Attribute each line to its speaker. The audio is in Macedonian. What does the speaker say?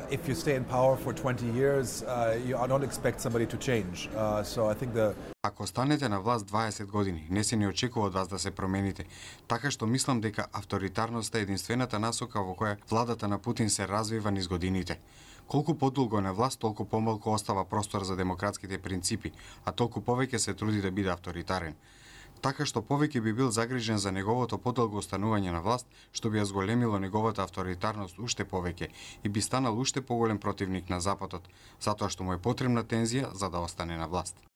Speaker 1: if you stay in power for 20 years, I don't expect somebody to change. So I think
Speaker 2: Ако останете на власт 20 години, не се ни очекува од вас да се промените, така што мислам дека авторитарноста е единствената насока во која владата на Путин се развива низ годините. Колку подолго на власт, толку помалку остава простор за демократските принципи, а толку повеќе се труди да биде авторитарен. Така што повеќе би бил загрижен за неговото подолго останување на власт, што би ја зголемило неговата авторитарност уште повеќе и би станал уште поголем противник на Западот, затоа што му е потребна тензија за да остане на власт.